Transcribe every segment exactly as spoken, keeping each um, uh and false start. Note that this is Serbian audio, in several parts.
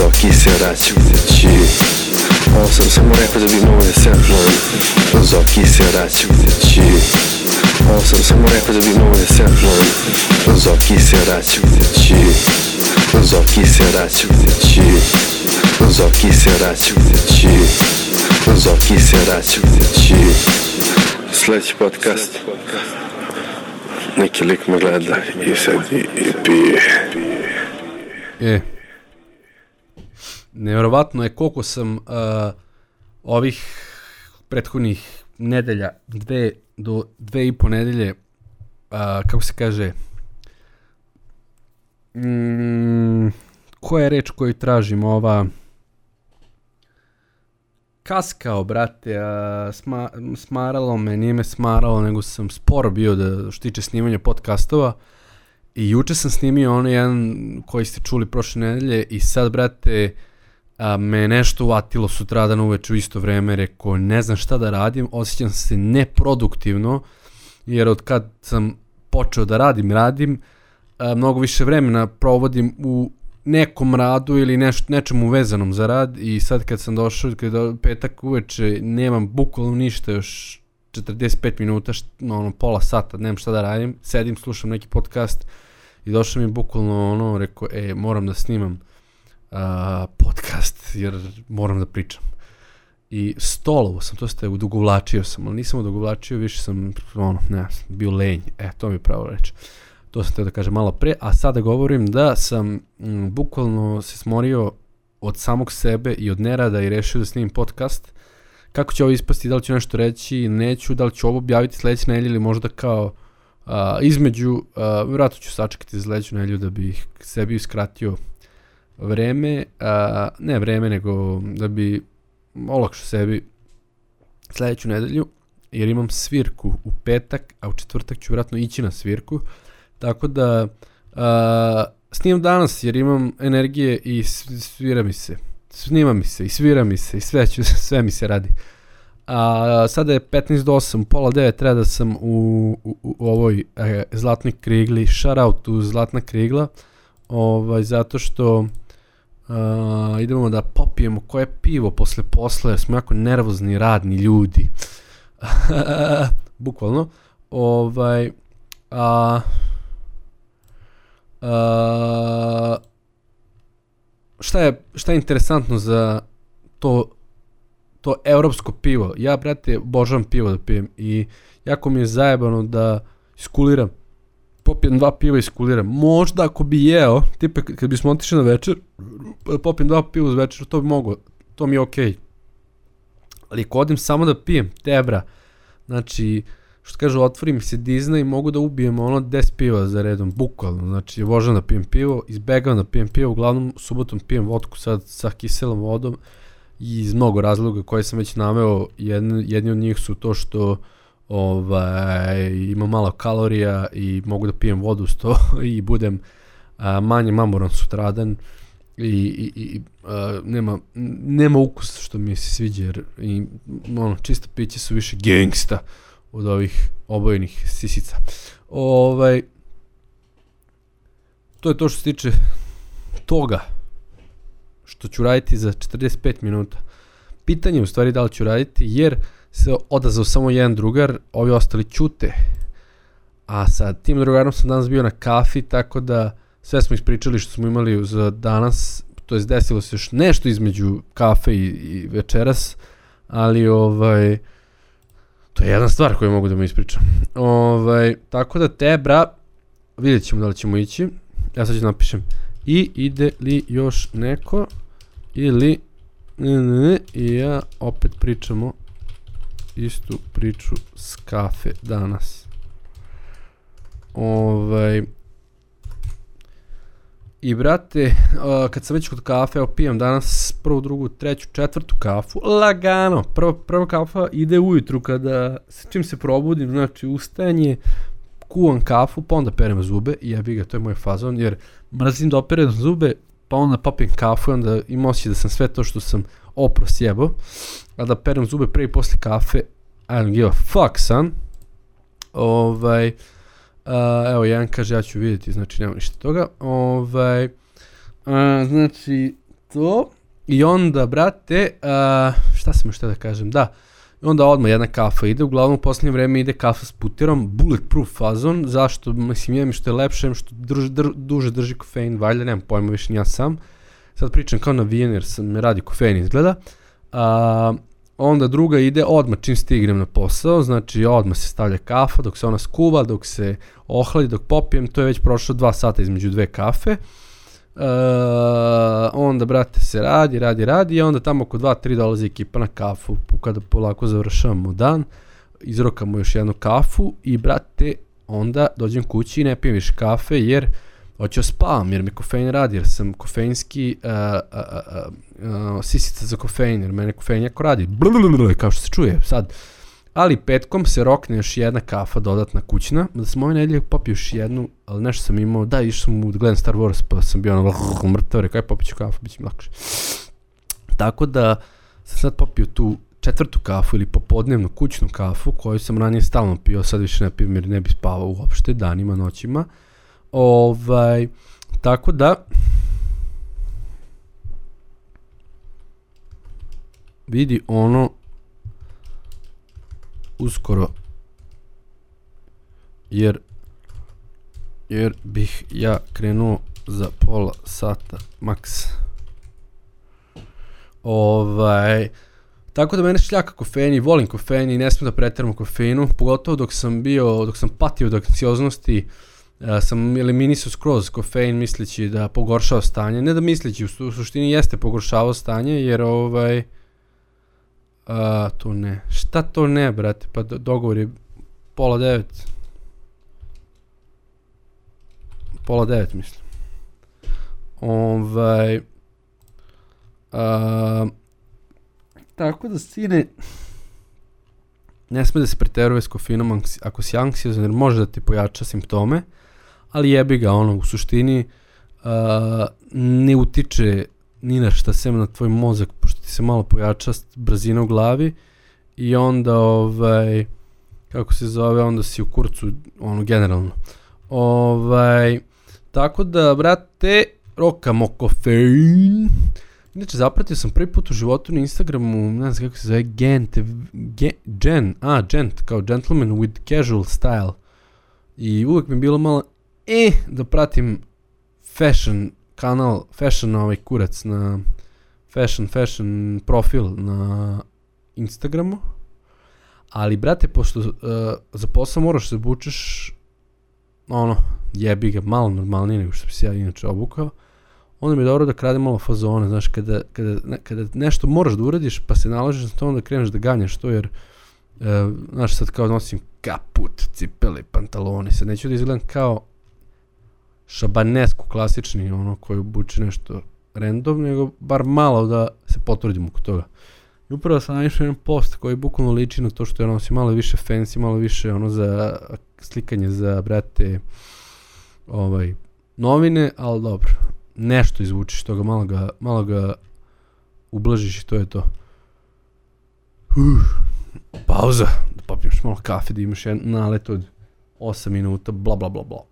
Zoki se račući. Ovo sam samo rekao da bi mogo da semplujem. Zoki se račući. Ovo sam samo rekao da bi mogo da semplujem. Zoki se račući. Zoki se račući. Zoki se račući. Zoki se račući. Sljedeći podcast. Neki lik me gleda i sad i, i pije. E, nevjerovatno je koliko sam uh, ovih prethodnih nedelja, dve do dve i po nedelje, uh, kako se kaže, mm, koja je reč koju tražim, ova, kaskao, brate, a, sma, smaralo me, nije me smaralo, nego sam sporo bio da što tiče snimanja podcastova. I juče sam snimio onaj jedan koji ste čuli prošle nedelje i sad, brate, a, me nešto uvatilo sutradan uveče u isto vreme, rekao ne znam šta da radim, osjećam se neproduktivno, jer od kad sam počeo da radim, radim, a, mnogo više vremena provodim u nekom radu ili neš, nečemu vezanom za rad i sad kad sam došao, kad je petak uveče, nemam bukvalno ništa, još četrdeset pet minuta, št, ono, pola sata, nemam šta da radim, sedim, slušam neki podcast i došao mi bukvalno ono, rekao, e, moram da snimam uh, podcast jer moram da pričam. I stolovo sam, to ste, odugovlačio sam, ali nisam odugovlačio, više sam, ono, ne, bio lenj, e, to mi je pravo reći. To sam teo da kažem malo pre, a sada govorim da sam m, bukvalno se smorio od samog sebe i od nerada i rešio da snimim podcast. Kako će ovo ispasti, da li ću nešto reći, neću, da li ću ovo objaviti sljedeće nedelje ili možda kao a, između, a, vjerojatno ću sačekati za sljedeću nedelju da bih sebi iskratio vreme, a, ne vreme, nego da bi olakšao sebi sljedeću nedelju, jer imam svirku u petak, a u četvrtak ću vjerojatno ići na svirku. Tako da uh, snimam danas jer imam energije i svira mi se, snima mi se i svira mi se i sve, ću, sve mi se radi. A, sada je petnaest do osam, pola devet, treba da sam u, u, u ovoj e, Zlatnoj krigli, shout out u Zlatna krigla, ovaj, zato što uh, idemo da popijemo koje pivo posle posle, jer smo jako nervozni, radni ljudi. Bukvalno. Ovaj, a... Uh, šta je šta je interesantno za to to europsko pivo? Ja, brate, obožavam pivo da pijem i jako mi je zajebano da iskuliram, popijem dva piva i iskuliram. Možda ako bi jeo, tipa kad bismo otišli na večer, popijem dva piva uz večer, to bi moglo, to mi je okej. Okay. Ali ako odim samo da pijem, tebra, znači, što kažu, otvori mi se Disney i mogu da ubijem ono deset piva za redom, bukvalno, znači vožem da pijem pivo, izbegavam da pijem pivo, uglavnom subotom pijem vodku sad sa kiselom vodom i iz mnogo razloga koje sam već naveo, jedni, jedni od njih su to što ovaj, ima malo kalorija i mogu da pijem vodu uz to i budem a, manje mamoran sutradan i, i, i a, nema, nema ukus što mi se sviđa jer i, ono, čista piće su više gangsta od ovih obojenih sisica. Ovaj, to je to što se tiče toga što ću raditi za četrdeset pet minuta. Pitanje je u stvari da li ću raditi jer se odazvao samo jedan drugar, ovi ostali ćute. A sa tim drugarom sam danas bio na kafi, tako da sve smo ispričali što smo imali za danas, to je desilo se još nešto između kafe i, i večeras, ali ovaj... to je jedna stvar koju mogu da mi ispričam. Ovaj, tako da te, bra, vidjet ćemo da li ćemo ići. Ja sad ću napišem i ide li još neko ili ne, ne, ne, i ja opet pričamo istu priču s kafe danas. Ovaj, i brate, uh, kad sam već kod kafe, evo pijem danas prvu, drugu, treću, četvrtu kafu, lagano, prva, prva kafa ide ujutru kada, čim se probudim, znači ustajanje, kuvam kafu, pa onda perem zube i jebi ga, to je moj fazon, jer mrzim da operem zube, pa onda popijem kafu i onda imam osjećaj da sam sve to što sam opro sjebao, a da perem zube pre i posle kafe, I don't give a fuck, son. Ovaj... Uh, evo, jedan kaže, ja ću vidjeti, znači nema ništa toga. Ovaj, uh, znači, to, i onda, brate, uh, šta sam još da kažem, da, i onda odmah jedna kafa ide, uglavnom u posljednje vreme ide kafa s putirom, bulletproof fazon, zašto, mislim, jedem što je lepše, što drži, dr, duže drži kofein, valjda, nemam pojma više, ja sam, sad pričam kao navijen jer sam me radi kofein izgleda, uh, onda druga ide odmah čim stignem na posao, znači odmah se stavlja kafa dok se ona skuva, dok se ohladi, dok popijem, to je već prošlo dva sata između dve kafe. Uh, onda, brate, se radi, radi, radi i onda tamo oko dva tri dolazi ekipa na kafu kada polako završavamo dan, izrokamo još jednu kafu i, brate, onda dođem kući i ne pijem više kafe jer hoću spavam jer mi kofein radi, jer sam kofeinski uh, uh, uh, uh, sisica za kofein, jer mene kofein jako radi, blablabla, kao što se čuje sad. Ali petkom se rokne još jedna kafa dodatna kućna, da sam ove nedelje popio još jednu, ali nešto sam imao, da, išao sam u da gledam Star Wars, pa sam bio ono mrtav, rekao je popit ću kafu, bit će mi lakše. Tako da sam sad popio tu četvrtu kafu ili popodnevnu kućnu kafu, koju sam ranije stalno pio, sad više ne pijem jer ne bi spavao uopšte, danima, noćima. Ovaj, tako da vidi ono uskoro jer jer bih ja krenuo za pola sata maks. Ovaj, tako da mene šljaka kofein i volim kofein i ne smijem da pretjeram u kofeinu, pogotovo dok sam bio, dok sam patio od anksioznosti. Uh, sam eliminisao skroz kofein misleći da pogoršava stanje, ne da misleći, u, su, u suštini jeste pogoršavao stanje jer ovaj, uh, to ne, šta to ne, brate, pa do, dogovor je pola devet, pola devet mislim, ovaj, uh, tako da sine, ne sme da se preteruje s kofeinom ako si anksiozan jer može da ti pojača simptome, ali jebi ga, ono, u suštini uh, ne utiče ni na šta sem na tvoj mozak, pošto ti se malo pojača brzina u glavi i onda, ovaj, kako se zove, onda si u kurcu, ono, generalno. Ovaj, tako da, brate, rokamo kofein. Inače, zapratio sam prvi put u životu na Instagramu, ne znam kako se zove, Gent, Gen, Gen, a, Gent, kao gentleman with casual style. I uvijek mi je bilo malo, e, da pratim fashion kanal, fashion ovaj kurac na, fashion, fashion profil na Instagramu. Ali, brate, pošto uh, za posao moraš se obučeš, ono, jebi ga, malo normalnije nego što bi se ja inače obukao, onda mi je dobro da krade malo fazone, znaš, kada, kada, ne, kada nešto moraš da uradiš, pa se nalažeš na to, onda kreneš da ganjaš to, jer, uh, znaš, sad kao nosim kaput, cipele, pantalone, sad neću da izgledam kao šabanesku klasični, ono, koji obuče nešto random, nego bar malo da se potvrdim oko toga. I upravo sam naišao jedan post koji bukvalno liči na to što ja nosim malo više fancy, malo više ono za slikanje za, brate, ovaj, novine, ali dobro, nešto izvučiš toga, malo ga, malo ga ublažiš i to je to. Uh, pauza, da popiješ malo kafe, da imaš jedan nalet od osam minuta, bla bla bla bla.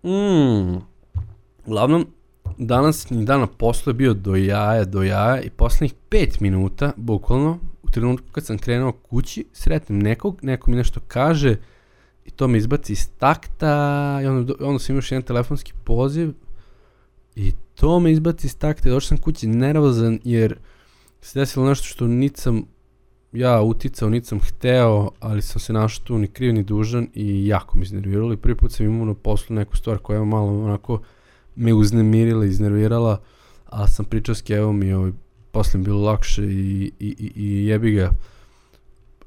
Mm. Uglavnom, danas ni dan na poslu je bio do jaja, do jaja i poslednjih pet minuta, bukvalno, u trenutku kad sam krenuo kući, sretnem nekog, neko mi nešto kaže i to me izbaci iz takta i onda, onda sam još jedan telefonski poziv i to me izbaci iz takta i došao sam kući nervozan jer se desilo nešto što niti sam ja uticao, niti sam hteo, ali sam se našao tu ni kriv ni dužan i jako mi iznerviralo i prvi put sam imao na poslu neku stvar koja je malo onako me uznemirila, iznervirala, a sam pričao s Kevom i ovaj, posle mi bilo lakše i, i, i, i jebi ga,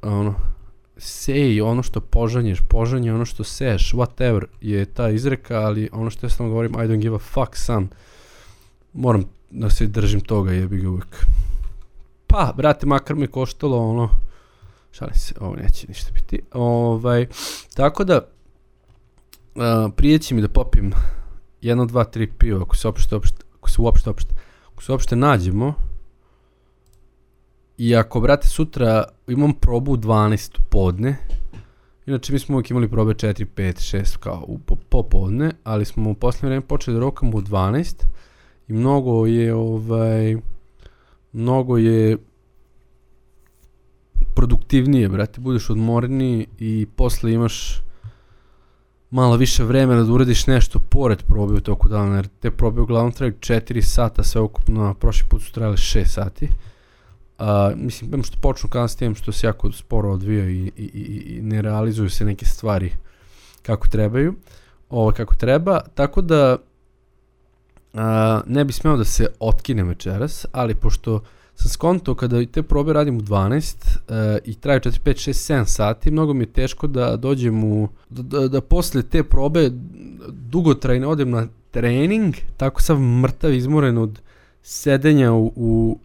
ono, sej ono što požanješ, požanje ono što seješ, whatever je ta izreka, ali ono što ja sam govorim, I don't give a fuck, son, moram da se držim toga, jebi ga uvijek. Pa, brate, makar mi koštalo, ono, šalim se, ovo neće ništa biti, ovaj, tako da, uh, prije će mi da popim jedno, dva, tri piva, ako se uopšte, ako se uopšte, uopšte, ako se uopšte nađemo, i ako, brate, sutra imam probu u dvanaest podne, Inače mi smo uvijek imali probe četiri, pet, šest kao u popodne, ali smo u posljednje vreme počeli da rokamo u dvanaest i mnogo je ovaj mnogo je produktivnije, brate, budeš odmorniji i posle imaš malo više vremena da uradiš nešto pored probe u toku dana, jer te probe uglavnom traju četiri sata sve ukupno, a prošli put su trajale šest sati. Uh, mislim, imam što počnu kasnije, što se jako sporo odvija i, i, i, i ne realizuju se neke stvari kako trebaju, ovo kako treba, tako da uh, ne bi smeo da se otkinem večeras, ali pošto sam skontao kada te probe radim u dvanaest uh, i traju četiri, pet, šest, sedam sati, mnogo mi je teško da dođem u, da, da, da posle te probe dugotrajno odem na trening, tako sam mrtav, izmoren od sedenja u, u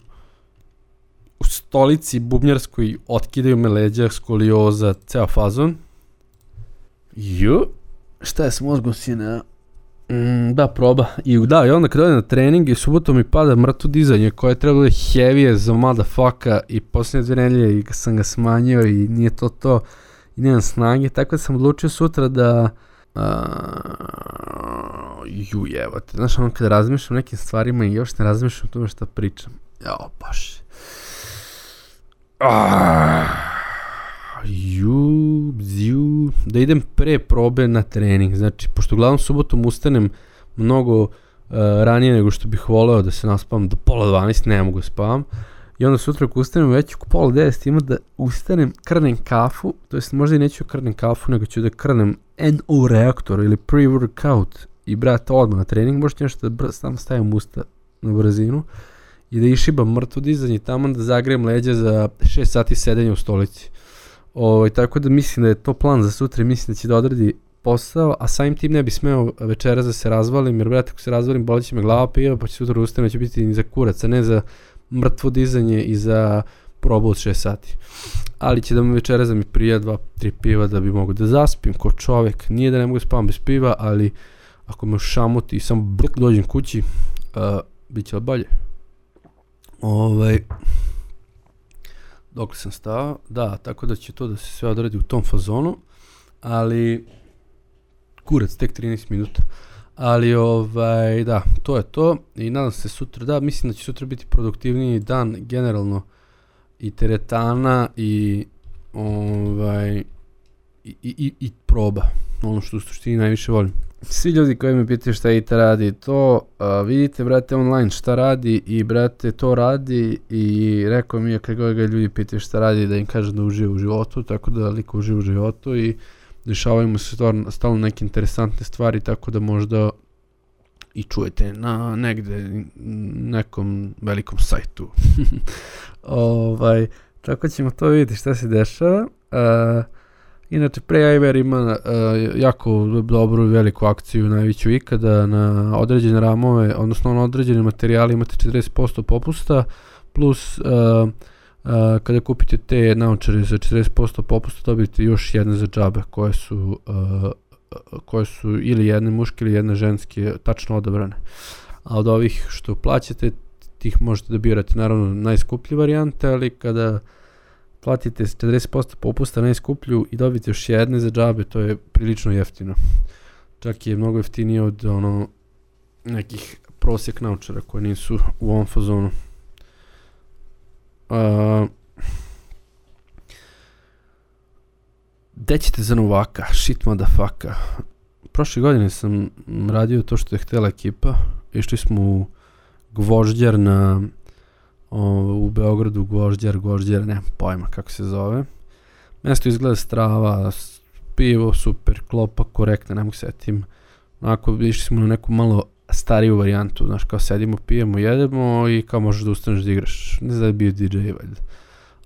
u stolici bubnjarskoj, otkidaju me leđa, skolioza, ceo fazon. Ju, šta je s mozgom, sine? Mm, da, proba. I da, i onda kad odem na trening i subotom mi pada mrtvo dizanje koje je trebalo da je heavy za motherfucka i posljednje dve nedelje i sam ga smanjio i nije to to i nemam snage, tako da sam odlučio sutra da uh, ju jebate, znaš ono kada razmišljam o nekim stvarima i još ne razmišljam o tome šta pričam. Jao, baš. Ah, ju, bzju, da idem pre probe na trening, znači, pošto uglavnom subotom ustanem mnogo uh, ranije nego što bih voleo da se naspavam do pola dvanaest, ne mogu spavam, i onda sutra ako ustanem već oko pola deset ima da ustanem, krnem kafu, to jest možda i neću krnem kafu, nego ću da krnem N O reaktor ili pre-workout i brate odmah na trening, možete nešto da sam stavim usta na brzinu, i da išibam mrtvo dizanje i tamo da zagrejem leđa za šest sati sedenja u stolici. O, tako da mislim da je to plan za sutra i mislim da će da odradi posao, a samim tim ne bi smeo večeras da se razvalim, jer brate ako se razvalim bolit će me glava piva, pa će sutra ustane, će biti ni za kurac, a ne za mrtvo dizanje i za probu od šest sati. Ali će da mi večeras da mi prija dva, tri piva da bi mogu da zaspim ko čovek. Nije da ne mogu spavam bez piva, ali ako me šamuti i samo brk dođem kući, uh, bit će bolje. Ovaj, dok sam stao, da, tako da će to da se sve odradi u tom fazonu, ali kurac, tek trinaest minuta, ali ovaj, da, to je to i nadam se sutra, da, mislim da će sutra biti produktivniji dan generalno i teretana i ovaj, i, i, i proba, ono što u suštini najviše volim. Svi ljudi koji me pitaju šta Ita radi, to a, vidite, brate, online šta radi i, brate, to radi i rekao mi je kad god ga ljudi pitaju šta radi da im kaže da uživa u životu, tako da liko uživa u životu i dešavaju mu se stalno neke interesantne stvari, tako da možda i čujete na negde, nekom velikom sajtu. ovaj, tako ćemo to vidjeti šta se dešava. Uh, Inače, Pre-Iver ima uh, jako dobru i veliku akciju, najveću ikada, na određene ramove, odnosno na određene materijale imate četrdeset posto popusta, plus uh, uh, kada kupite te naočare za četrdeset posto popusta dobijete još jedne za džabe koje su, uh, koje su ili jedne muške ili jedne ženske tačno odabrane. A od ovih što plaćate, tih možete da birate naravno najskuplje varijante, ali kada platite četrdeset posto popusta najskuplju i dobite još jedne za džabe, to je prilično jeftino. Čak je mnogo jeftinije od ono nekih prosjek naučara koji nisu u ovom fazonu. Uh, Gde ćete za Novaka? Shit motherfucker. Prošle godine sam radio to što je htjela ekipa. Išli smo u Gvožđar na O, u Beogradu, Gvožđar, Gvožđar, nemam pojma kako se zove. Mesto izgleda strava, pivo, super, klopa, korektna, ne mogu setim. Onako, išli smo na neku malo stariju varijantu, znaš, kao sedimo, pijemo, jedemo i kao možeš da ustaneš da igraš. Ne znam da je bio D J, valjda.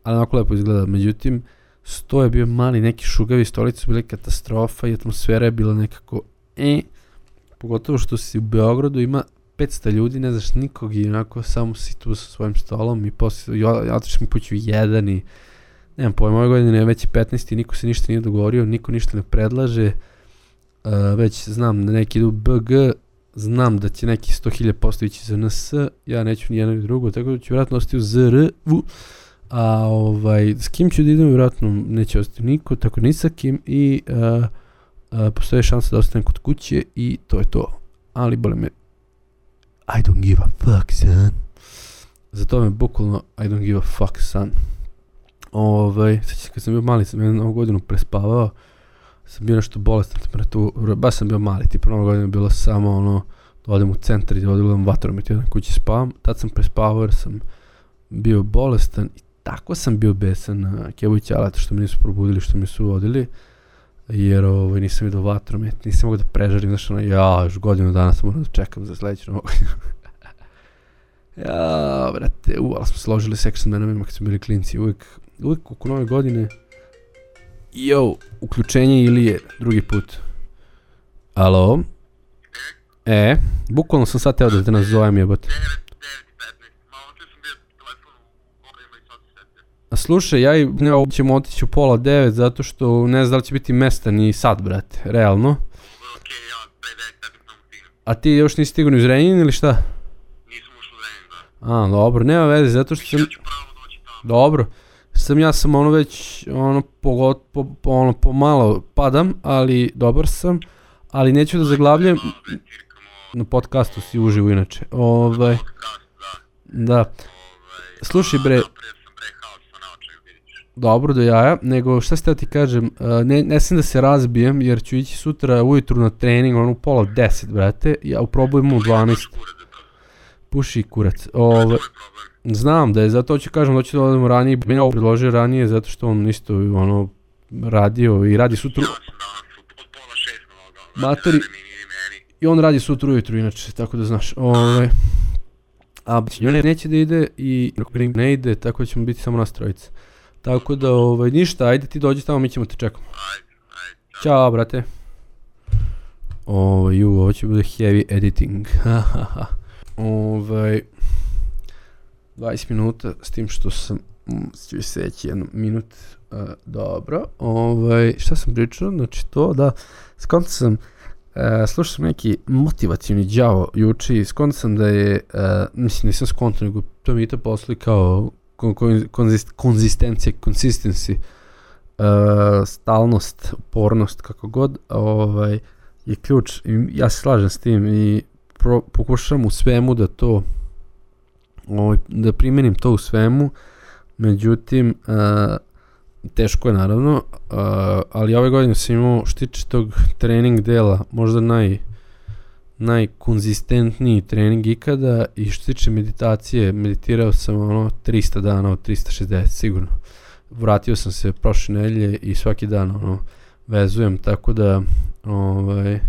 Ali onako lepo izgleda. Međutim, sto je bio mali, neki šugavi, stolice su bili katastrofa i atmosfera je bila nekako e, pogotovo što si u Beogradu ima petsto ljudi, ne znaš nikog i onako samo si tu sa svojim stolom i poslije, ja otišao mi kuću jedan i nemam pojma, ove godine je već petnaest i niko se ništa nije dogovorio, niko ništa ne predlaže, uh, već znam da neki idu B G, znam da će neki sto hiljada posto ići za N S, ja neću ni jedno ni drugo, tako da ću vjerojatno ostati u Z R, a ovaj, s kim ću da idem, vjerojatno neće ostati niko, tako ni sa kim i uh, uh, postoje šansa da ostanem kod kuće i to je to. Ali bole me, I don't give a fuck, son. Zato me bukvalno, I don't give a fuck, son. Ovaj, sveći kad sam bio mali, sam jednu novu godinu prespavao, sam bio nešto bolestan temperaturu, baš sam bio mali, tipa novu godinu je bilo samo ono, da odem u centar i da odgledam vatromet, jedan kući spavam, tad sam prespavao jer sam bio bolestan i tako sam bio besan na Kevu i Ćaleta što me nisu probudili, što me su vodili, jer ovaj, nisam vidio vatromet, nisam mogu da prežarim, znaš ono, ja, još godinu dana sam morao da čekam za sledeću novu godinu. Ja, brate, u, ali smo složili seks sa menom kad smo bili klinci, uvijek, uvijek oko nove godine, jo, uključenje ili je drugi put. Alo? E, bukvalno sam sad teo da te nazovem jebote. A slušaj, ja i ne ćemo otići u pola devet zato što ne znam da li će biti mesta ni sad, brate, realno. A ti još nisi stigao ni u Zrenjanin ili šta? Nisam ušao u Zrenjanin, da. A, dobro, nema veze, zato što sam... Ja ću pravo doći tamo. Dobro. Sam ja sam ono već, ono, pogot, po, po, ono, pomalo padam, ali dobar sam, ali neću da zaglavljam, na podcastu si uživo inače, ovaj, da, slušaj bre, dobro do jaja, nego šta se teo ti kažem, ne, ne sam da se razbijem jer ću ići sutra ujutru na trening, ono u pola deset, brate, ja uprobujem u dvanaest, puši kurac, ovaj, znam da je, zato ću kažem da ću da odemo ranije, bi me ovo predložio ranije zato što on isto ono radio i radi sutra. Matori, i on radi sutra ujutru inače, tako da znaš. Ovaj, a ne, neće da ide i ne ide, tako da ćemo biti samo nas trojica. Tako da ovaj, ništa, ajde ti dođi tamo, mi ćemo te čekamo. Ćao, brate. Ovaj, ju, ovo će bude heavy editing. Ovaj... dvadeset minuta, s tim što sam ću seći jedan minut, uh, dobro, ovaj, šta sam pričao, znači to da, skonto sam, uh, slušao sam neki motivacijni đavo juče i skonto sam da je, uh, mislim nisam skonto, nego to mi je to posli kao konzist, konzistencija, consistency, uh, stalnost, upornost, kako god, ovaj, je ključ i ja se slažem s tim i pro, pokušam u svemu da to Ovaj, da primenim to u svemu, međutim, uh, teško je naravno, uh, ali ove godine sam imao što tiče tog trening dela, možda naj, najkonzistentniji trening ikada i što tiče meditacije, meditirao sam ono tristo dana od tristo šezdeset sigurno. Vratio sam se prošle nedelje i svaki dan ono vezujem, tako da ovaj... Uh,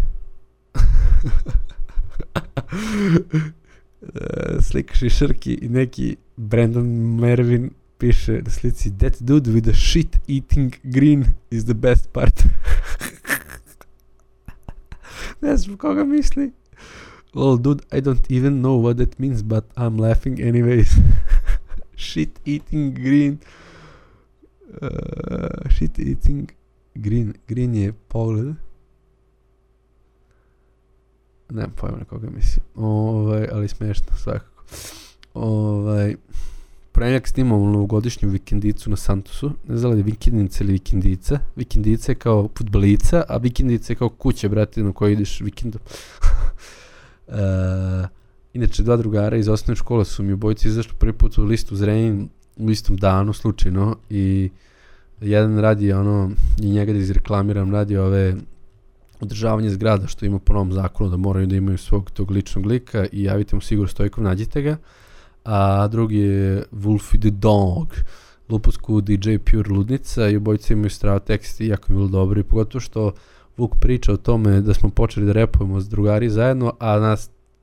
slika šišarki i neki Brandon Mervin piše na slici that dude with the shit eating green is the best part. Ne znam koga misli. Well dude, I don't even know what that means but I'm laughing anyways. Shit eating green. Uh, shit eating green. Green je pogled. Nemam pojma na koga mislim, ovaj, ali smiješno svakako. Ovaj, Prenjak snimamo novogodišnju vikendicu na Santosu, ne znam li je vikendica ili vikendica. Vikendica je kao fudbalica, a vikendica je kao kuća, brate, na kojoj ideš vikendom. uh, inače, dva drugara iz osnovne škole su mi obojici izašli prvi put u listu Zrenjanin u istom danu, slučajno, i jedan radi ono, i njega da izreklamiram, radi ove održavanje zgrada što ima po novom zakonu da moraju da imaju svog tog ličnog lika i javite mu Sigurd Stojkov, nađite ga. A drugi je Wolfie the Dog, Lupusku D J Pure Ludnica i obojice imaju strava tekst i jako mi bilo dobro i pogotovo što Vuk priča o tome da smo počeli da repujemo s drugari zajedno, a na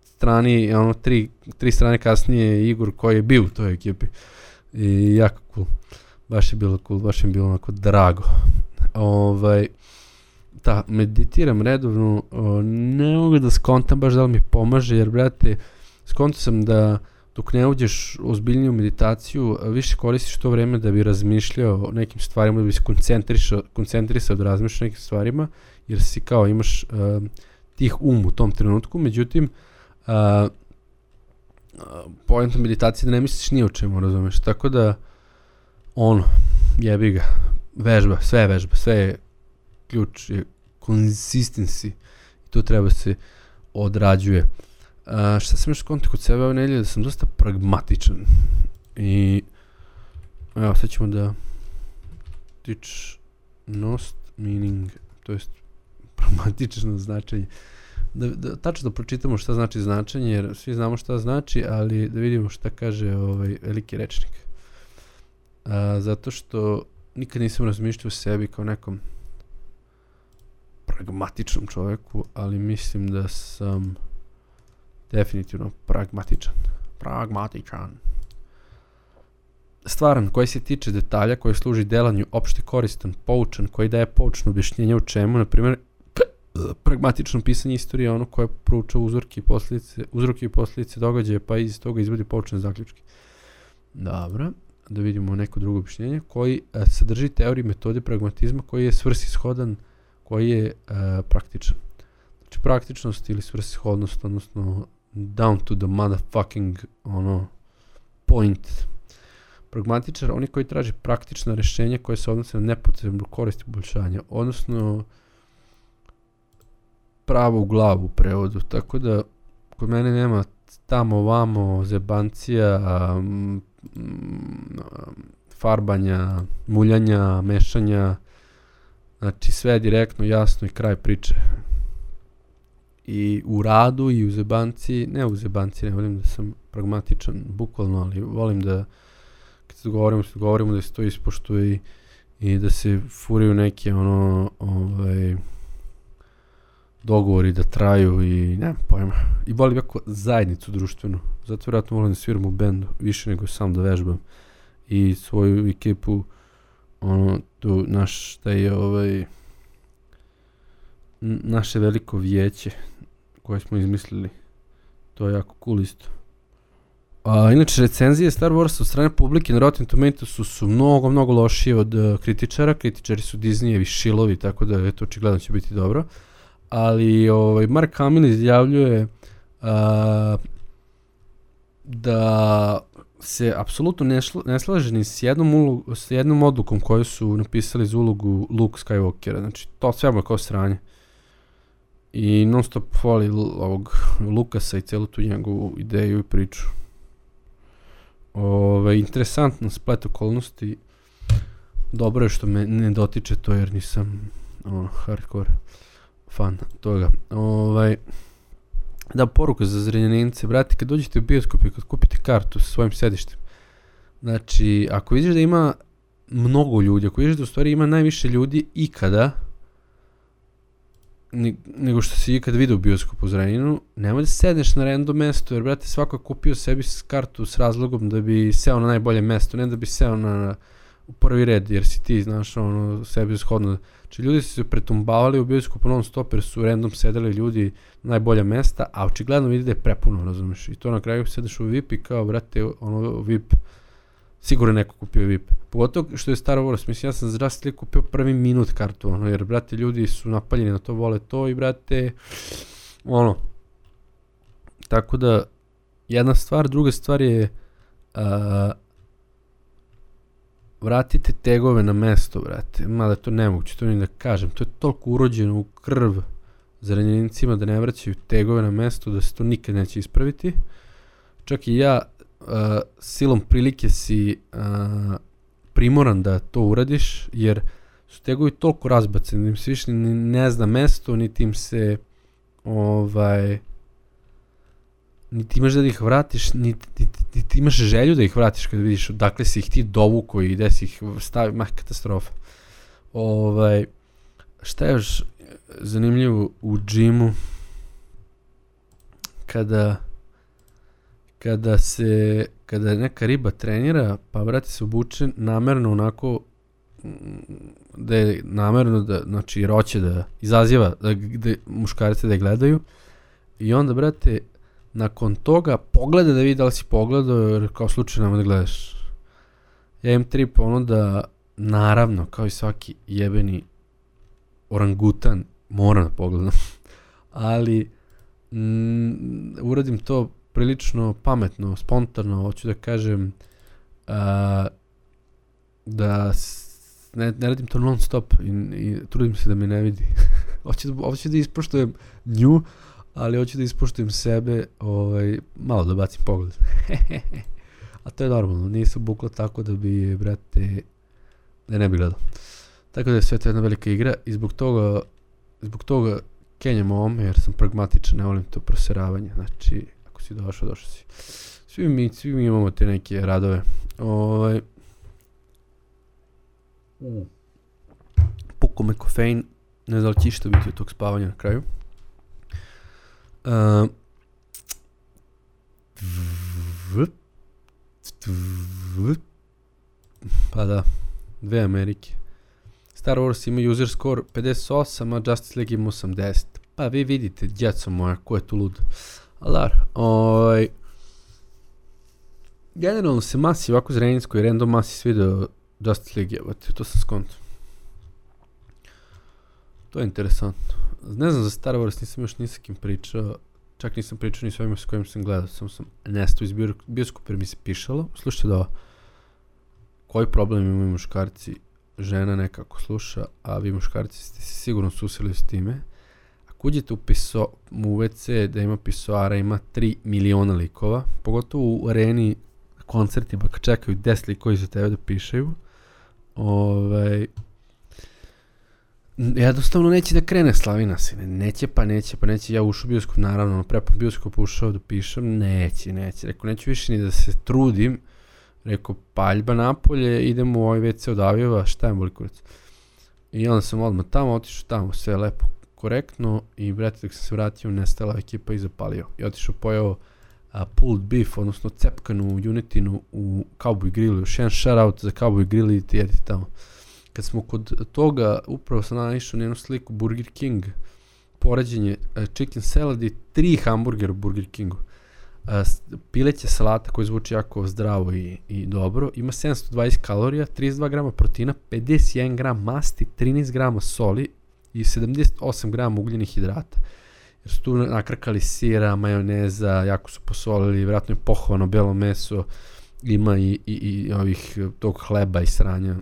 strani, ono, tri, tri strane kasnije je Igor koji je bio u toj ekipi i jako cool, baš je bilo cool, baš je bilo onako drago. Ovaj, da, meditiram redovno, o, ne mogu da skontam baš da li mi pomaže, jer brate, skontam sam da dok ne uđeš u ozbiljniju meditaciju, više koristiš to vreme da bi razmišljao o nekim stvarima, da bi se koncentrisao, koncentrisao da razmišljaš o nekim stvarima, jer si kao imaš uh, tih um u tom trenutku, međutim, uh, uh, poenta meditacije da ne misliš ni o čemu, razumeš, tako da ono, jebi ga, vežba, sve je vežba, sve je ključ, je consistency i to treba se odrađuje. Uh, šta sam još skontao kod sebe ove nedelje, da sam dosta pragmatičan i evo sad ćemo da tičnost meaning, to jest pragmatično značenje, da, da, tačno da pročitamo šta znači značenje, jer svi znamo šta znači, ali da vidimo šta kaže ovaj veliki rečnik. Uh, zato što nikad nisam razmišljao o sebi kao nekom pragmatičnom čovjeku, ali mislim da sam definitivno pragmatičan. Pragmatičan. Stvaran, koji se tiče detalja, koji služi delanju opšte koristan, poučan, koji daje poučno objašnjenje u čemu, na primjer, pragmatično pisanje istorije, ono koje prouča uzorke i posljedice, uzroke i posljedice događaja, pa iz toga izvodi poučne zaključke. Dobro, da vidimo neko drugo objašnjenje, koji a, sadrži teoriju metode pragmatizma, koji je svrsishodan, koji je a, praktičan. Znači praktičnost ili svrsishodnost, odnosno down to the motherfucking ono point. Pragmatičar, oni koji traži praktična rješenja koje se odnose na nepotrebnu korist i poboljšanja, odnosno pravo u glavu u prevodu, tako da kod mene nema tamo vamo zebancija, um, farbanja, muljanja, mešanja, znači sve je direktno, jasno i kraj priče. I u radu i u zebanci, ne u zebanci, ne volim da sam pragmatičan, bukvalno, ali volim da kad se govorimo, se govorimo da se to ispoštuje i, i da se furaju neke ono, ovaj, dogovori da traju i nemam pojma. I volim jako zajednicu društvenu, zato vjerojatno volim da sviram u bendu, više nego sam da vežbam. I svoju ekipu, ono, tu naš, taj ovaj, naše veliko vijeće koje smo izmislili, to je jako cool isto. A, inače, recenzije Star Warsa od strane publike na Rotten Tomatoesu su mnogo, mnogo lošije od uh, kritičara. Kritičari su Disneyevi šilovi, tako da eto, očigledno će biti dobro. Ali ovaj, Mark Hamill izjavljuje uh, da se apsolutno ne, šla, ne slaže ni s jednom, ulogu, s jednom odlukom koju su napisali za ulogu Luke Skywalkera. Znači, to sve je kao sranje. I non stop hvali ovog Lukasa i celu tu njegovu ideju i priču. Ove, interesantno splet okolnosti. Dobro je što me ne dotiče to jer nisam ono, hardcore fan toga. Ove, da, poruka za Zrenjanince, brate, kad dođete u bioskop i kad kupite kartu sa svojim sedištem, znači, ako vidiš da ima mnogo ljudi, ako vidiš da u stvari ima najviše ljudi ikada, nego što si ikad vidio u bioskopu u Zrenjaninu, nemoj da sedneš na random mesto, jer brate svako je kupio sebi kartu s razlogom da bi seo na najbolje mesto, ne da bi seo na, na u prvi red, jer si ti, znaš, ono, sebi shodno. Znači ljudi su se pretumbavali u bioskopu non stop, jer su random sedeli ljudi na najbolja mesta, a očigledno vidi da je prepuno, razumiješ, i to na kraju sedeš u V I P i kao, brate, ono, V I P, sigurno neko kupio V I P. Pogotovo što je Star Wars, mislim, ja sam zdravstvili kupio prvi minut kartu, ono, jer, brate, ljudi su napaljeni na to, vole to i, brate, ono, tako da, jedna stvar, druga stvar je, uh, vratite tegove na mesto, brate, mada to nemoguće, to ni da kažem, to je toliko urođeno u krv Zrenjanincima da ne vraćaju tegove na mesto, da se to nikad neće ispraviti. Čak i ja, Uh, silom prilike si uh, primoran da to uradiš, jer su tegovi toliko razbaceni, da im se više ni ne zna mesto, niti im se ovaj niti imaš da ih vratiš, niti, niti, niti imaš želju da ih vratiš kad vidiš odakle si ih ti dovuko i gde si ih stavio, mah, katastrofa. Ovaj, šta je još zanimljivo u džimu, kada kada se, kada neka riba trenira, pa brate se obuče namerno onako, da je namerno da, znači jer hoće da izaziva da, da muškarce da je gledaju i onda brate nakon toga pogleda da vidi da li si pogledao, jer kao slučajno da gledaš. Ja imam trip ono da naravno kao i svaki jebeni orangutan moram da pogledam, ali mm, uradim to prilično pametno, spontano, hoću da kažem, uh, da s- ne, ne radim to non stop i, i trudim se da me ne vidi. hoću, da, hoću da ispoštujem nju, ali hoću da ispoštujem sebe, ovaj, malo da bacim pogled. A to je normalno, nisam bukla tako da bi, brate, da ne bi gledao. Tako da je sve to jedna velika igra i zbog toga, zbog toga kenjam ovome jer sam pragmatičan, ne volim to proseravanje. Znači, ako si došao, došao si. Svi mi, svi mi imamo te neke radove. Ovaj, mm. Pukao me kofein, ne znam da li će išta biti od tog spavanja na kraju. Uh, pa da, dve Amerike. Star Wars ima user score pedeset osam, a Justice League ima osamdeset. Pa vi vidite, djeco moja, ko je tu lud. Ali dar, ovaj... generalno se masi ovako zrenjinskoj random masi svidio Justice League, jebate, to sam skonto. To je interesantno. Ne znam za Star Wars, nisam još ni sa kim pričao, čak nisam pričao ni s ovima s kojim sam gledao, samo sam nestao iz bioskopa jer mi se pišalo. Slušajte da, koji problem imaju muškarci, žena nekako sluša, a vi muškarci ste se sigurno susreli s time. Ako uđete u, piso, u ve ce da ima pisoara, ima tri miliona likova, pogotovo u areni koncertima kad čekaju deset likova iza tebe da pišaju, ovaj, jednostavno neće da krene slavina se, neće pa neće pa neće, ja ušao u bioskop, naravno, prepam bioskop ušao da pišem, neće, neće, rekao, neću više ni da se trudim, rekao, paljba napolje, idemo u ovaj ve ce od Avijeva, šta je boli kurac. I onda sam odmah tamo, otišao tamo, sve lepo, korektno i brate, dok sam se vratio, nestala ekipa i zapalio. I otišao pojeo a, pulled beef, odnosno cepkanu Unitinu u Cowboy Grillu, još jedan shoutout za Cowboy Grill i ti jedite tamo. Kad smo kod toga, upravo sam naišao na jednu sliku Burger King, poređenje uh, chicken salad i tri hamburgera u Burger Kingu. Uh, pileća salata koji zvuči jako zdravo i, i dobro, ima sedamsto dvadeset kalorija, trideset dva grama proteina, pedeset jedan gram masti, trinaest grama soli i sedamdeset osam grama ugljenih hidrata. Jer su tu nakrkali sira, majoneza, jako su posolili, vjerojatno je pohovano belo meso, ima i, i, i ovih tog hleba i sranja.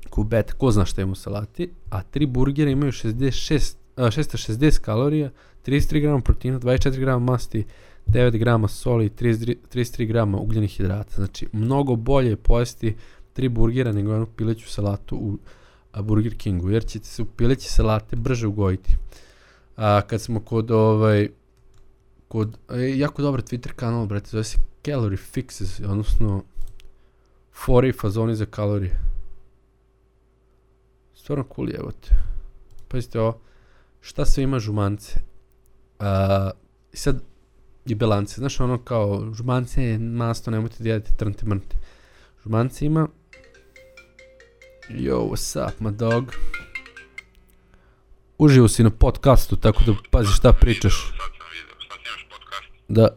Kubeta, ko zna šta ima u salati, a tri burgera imaju šezdeset šest, a, šesto šezdeset kalorija, trideset tri grama proteina, dvadeset četiri grama masti, devet grama soli i trideset tri grama ugljenih hidrata. Znači, mnogo bolje je pojesti tri burgera nego jednu pileću salatu u a, Burger Kingu, jer ćete se u pileće salate brže ugojiti. A kad smo kod ovaj, kod, e, jako dobar Twitter kanal, brate, zove se Calorie Fixes, odnosno fore i fazoni za kalorije. Stvarno cool jebote. Pazite ovo, šta sve ima žumance. A, I sad i belance, znaš ono kao žumance je masto, nemojte da jedete trnte mrnte. Žumance ima, yo, what's up my dog. Uživo si na podcastu, tako da pazi šta pričaš. Sad sam vidio, šta ti imaš podcast? Da.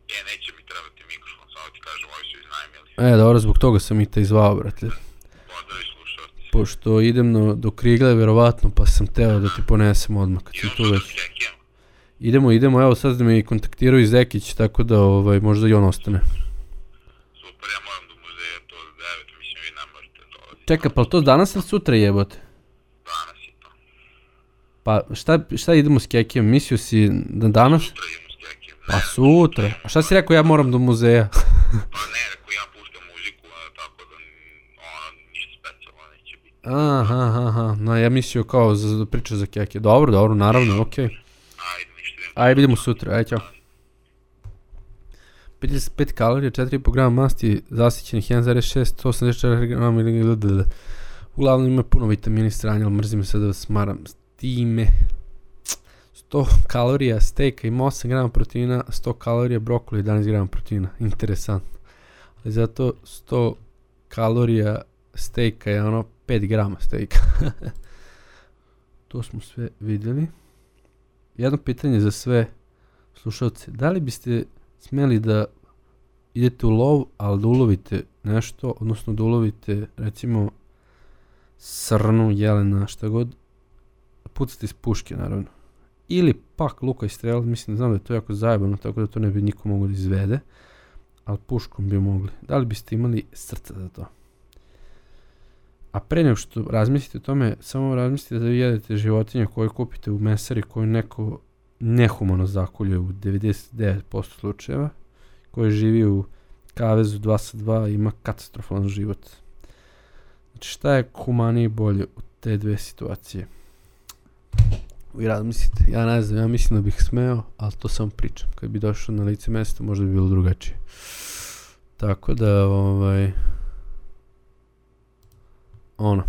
E, neće mi trebati mikrofon, samo ti kažem, ovi su iznajmili. E, dobro, zbog toga sam i te izvao, brate. Pozdrav i slušalci. Pošto idem no, do Krigle, verovatno, pa sam teo da ti ponesem odmah, kad sam tu već. Idemo, idemo, evo sad da me kontaktiraju iz Zekić, tako da ovaj, možda i on ostane. Super, ja moram do muzeja, to od devet, mislim vi ne možete dolaziti. Čekaj, pa to danas ili sutra jebote? Danas je to. Pa šta, šta idemo s Kekijem, mislio si da danas? Sutra idemo s Kekijem. Pa sutra, a šta si rekao ja moram do muzeja? Pa ne, rekao ja puštam muziku, tako da ono, ništa specijalno neće biti. Aha, aha, aha, no ja mislio kao za, za priča za Kekije, dobro, dobro, naravno, okej. Okay. Ajde, ništa idemo. Ajde, vidimo sutra, ajde, ćao. pedeset pet kalorija, četiri i po grama masti, zasićenih jedan zarez šest, sto osamdeset četiri grama ili... Uglavnom ima puno vitamini stranja, ali mrzim se da vas smaram s time. sto kalorija stejka ima osam grama proteina, sto kalorija brokoli, jedanaest grama proteina. Interesantno. Ali zato sto kalorija stejka je ono pet grama stejka. To smo sve vidjeli. Jedno pitanje za sve slušalce. Da li biste smeli da idete u lov, ali da ulovite nešto, odnosno da ulovite recimo srnu, jelena, šta god, pucate iz puške naravno. Ili pak luka i strela, mislim da znam da je to jako zajebano, tako da to ne bi niko mogao da izvede, ali puškom bi mogli. Da li biste imali srca za to? A pre nego što razmislite o tome, samo razmislite da vi jedete životinje koje kupite u mesari koju neko nehumano zakolje u devedeset devet posto slučajeva, koji živi u kavezu dva sa dva i ima katastrofalan život. Znači šta je humanije i bolje u te dve situacije? Vi razmislite, ja ne znam, ja mislim da bih smeo, ali to samo pričam. Kad bi došao na lice mesta, možda bi bilo drugačije. Tako da, ovaj... ono.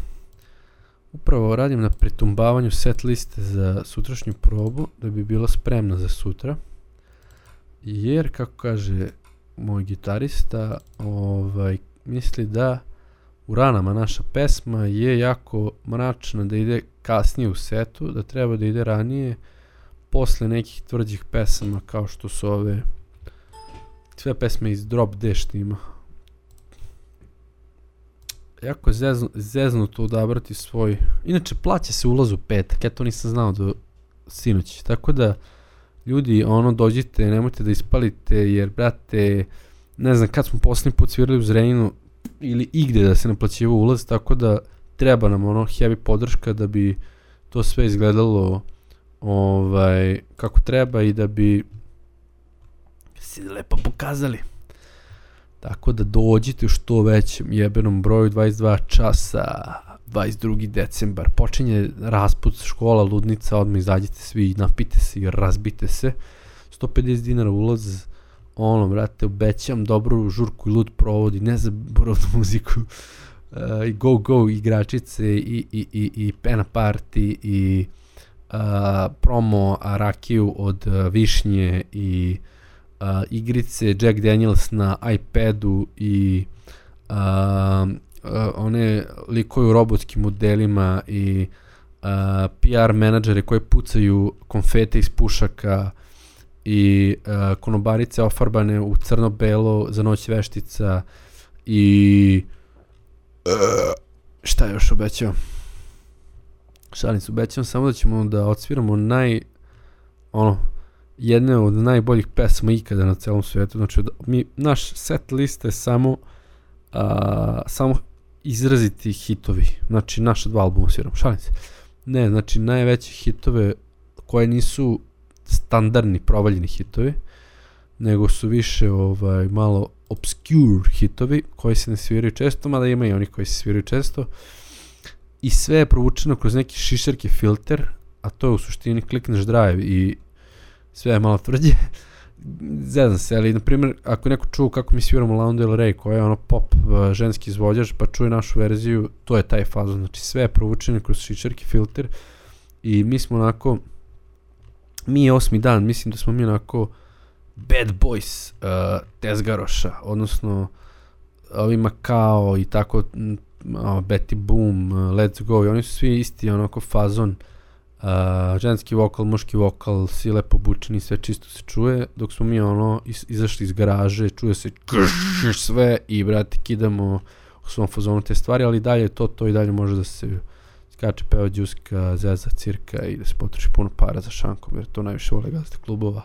Upravo radim na pretumbavanju set liste za sutrašnju probu, da bi bila spremna za sutra. Jer, kako kaže moj gitarista, ovaj, misli da u ranama naša pesma je jako mračna, da ide kasnije u setu, da treba da ide ranije, posle nekih tvrđih pesama kao što su ove sve pesme iz Drop D štima. Jako je zeznu, zeznuto odabrati svoj... Inače, plaća se ulaz u petak, ja to nisam znao do sinoć. Tako da, ljudi, ono, dođite, nemojte da ispalite, jer, brate, ne znam, kad smo posljednji put svirali u Zrenjinu ili igde da se naplaćiva ulaz, tako da treba nam ono heavy podrška da bi to sve izgledalo ovaj, kako treba i da bi se lepo pokazali. Tako da dođite u što većem jebenom broju, dvadeset dva časa, dvadeset drugi decembar. Počinje rasput, škola, ludnica, odmah izađite svi, napite se i razbite se. sto pedeset dinara ulaz, ono, brate, obećam dobru žurku i lud provodi, ne zaboravnu muziku, uh, i go go igračice i, i, i, i pena party i uh, promo rakiju od uh, višnje i uh, igrice Jack Daniels na iPadu i uh, uh, one likoju robotskim modelima i uh, P R menadžere koji pucaju konfete iz pušaka i uh, konobarice ofarbane u crno-belo za noć veštica i uh, šta je još obećao? Šalim se, obećam samo da ćemo da odsviramo naj, ono, jedne od najboljih pesama ikada na celom svijetu. Znači, mi, naš set liste je samo, uh, samo izraziti hitovi. Znači, naša dva albuma sviramo. Šalim se. Ne, znači, najveće hitove koje nisu standardni provaljeni hitovi, nego su više ovaj, malo obscure hitovi koji se ne sviraju često, mada ima i oni koji se sviraju često. I sve je provučeno kroz neki šišarki filter, a to je u suštini klikneš drive i sve je malo tvrđe. Zezam se, ali na primjer, ako neko čuo kako mi sviramo Lana Del Rey, koja je ono pop uh, ženski izvođač, pa čuje našu verziju, to je taj fazon. Znači sve je provučeno kroz šišarki filter i mi smo onako, mi je osmi dan, mislim da smo mi onako bad boys uh, tezgaroša, odnosno ovima kao i tako, uh, Betty Boom, uh, Let's Go, i oni su svi isti onako fazon, uh, ženski vokal, muški vokal, svi lepo obučeni, sve čisto se čuje, dok smo mi ono iz, izašli iz garaže, čuje se krš, sve i brate kidamo u svom fazonu te stvari, ali dalje to, to i dalje može da se skače, peva džuska, zeza, cirka i da se potroši puno para za šankom, jer to najviše vole gazete klubova.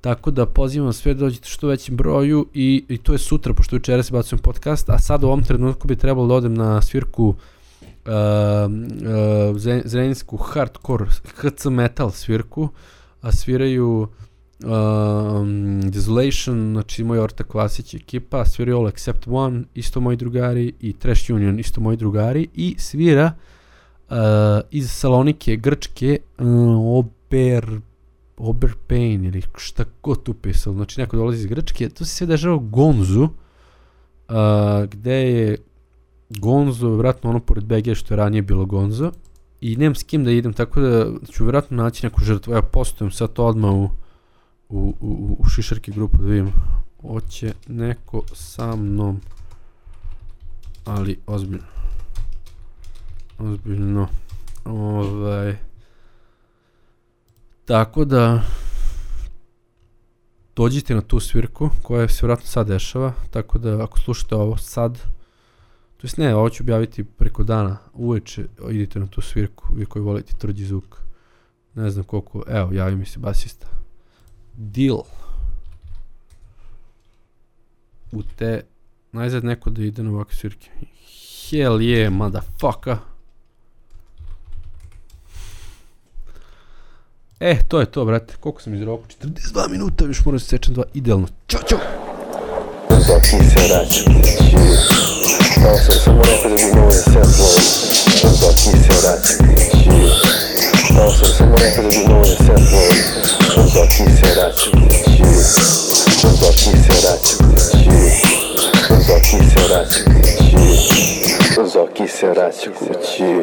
Tako da pozivam sve da dođete što većim broju i, i to je sutra, pošto jučera se bacujem podcast, a sad u ovom trenutku bi trebalo da odem na svirku uh, uh, zrenjinsku hardcore H C metal svirku, a sviraju um, Desolation, znači moj ortak Vasić ekipa, sviraju All Except One, isto moji drugari, i Trash Union, isto moji drugari, i svira uh, iz Salonike, Grčke, uh, Ober Oberpain ili šta god tu pisalo, znači neko dolazi iz Grčke. To se sve dešava u Gonzu, uh, gde je Gonzo, vjerojatno ono pored B G što je ranije bilo Gonzo, i nemam s kim da idem, tako da ću vjerojatno naći neku žrtvu. Evo, postojem sad to odmah u, u, u, u šišarki grupu da vidim, hoće neko sa mnom, ali ozbiljno, ozbiljno, ovaj... Tako da dođite na tu svirku koja se vjerojatno sad dešava, tako da ako slušate ovo sad, to jest ne, ovo ću objaviti preko dana, uveče idite na tu svirku, vi koji volite tvrđi zvuk, ne znam koliko, evo javi mi se basista, Deal, u te, najzad neko da ide na ovakve svirke, Hell yeah, motherfucker. E, to je to, brate. Koliko sam izrokao? četrdeset dva minuta, još moram se sečem dva. Idealno. Ćao, čao! Zoki se raču kući. Kao sam samo rekao da bi mogo da samplujem. Zoki se raču kući. Kao sam samo rekao da bi mogo da samplujem. Zoki se raču kući. Zoki se raču kući. Zoki se raču kući. Zoki se raču kući.